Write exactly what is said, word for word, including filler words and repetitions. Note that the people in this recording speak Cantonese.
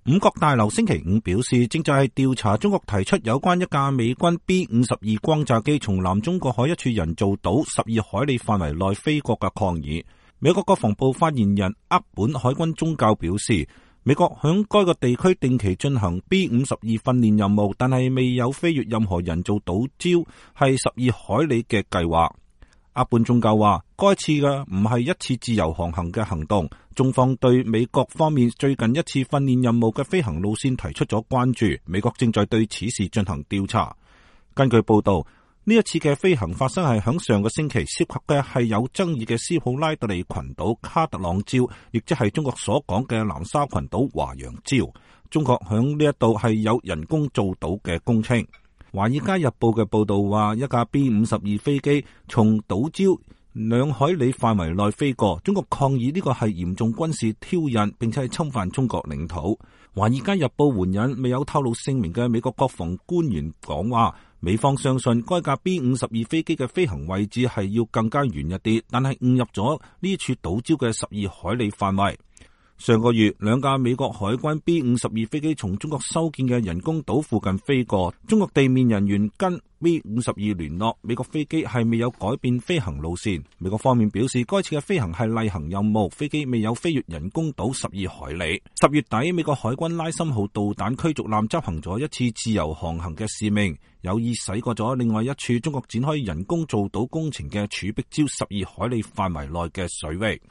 五角大樓星期五表示，正在調查中國提出有關一架美軍 B 五十二轟炸機從南中國海一處人造島十二海里範圍內飛過嘅抗議。美國國防部發言人厄本海軍中校表示，美國響該個地區定期進行 B 五十二訓練任務，但係未有飛越任何人造島礁係十二海里嘅計劃。厄本中校話，該次嘅唔係一次自由航行嘅行動，中方對美國方面最近一次訓練任務嘅飛行路線提出咗關注，美國正在對此事進行調查。根據報道，呢一次嘅飛行發生係響上個星期，涉及嘅係有爭議嘅斯普拉特利群島卡特朗礁，亦即係中國所講嘅南沙群島華陽礁。中國響呢一度係有人工造島嘅工程。華爾街日報嘅報道話，一架 B 五十二飛機從島礁兩海里範圍內飛過，中國抗議呢個係嚴重軍事挑釁，並且係侵犯中國領土。華爾街日報援引未有透露姓名嘅美國國防官員講話，美方相信該架 B 五十二飛機嘅飛行位置係要更加遠一啲，但係誤入咗呢處島礁嘅十二海里範圍。上個月，兩架美國海軍 B 五十二飛機從中國修建嘅人工島附近飛過，中國地面人員跟 B 五十二聯絡，美國飛機係未有改變飛行路線。美國方面表示，該次嘅飛行係例行任務，飛機未有飛越人工島十二海里。十月底，美國海軍拉森號導彈驅逐艦執行咗一次自由航行嘅使命，有意駛過咗另外一處中國展開人工造島工程嘅儲碧礁十二海里範圍內嘅水域。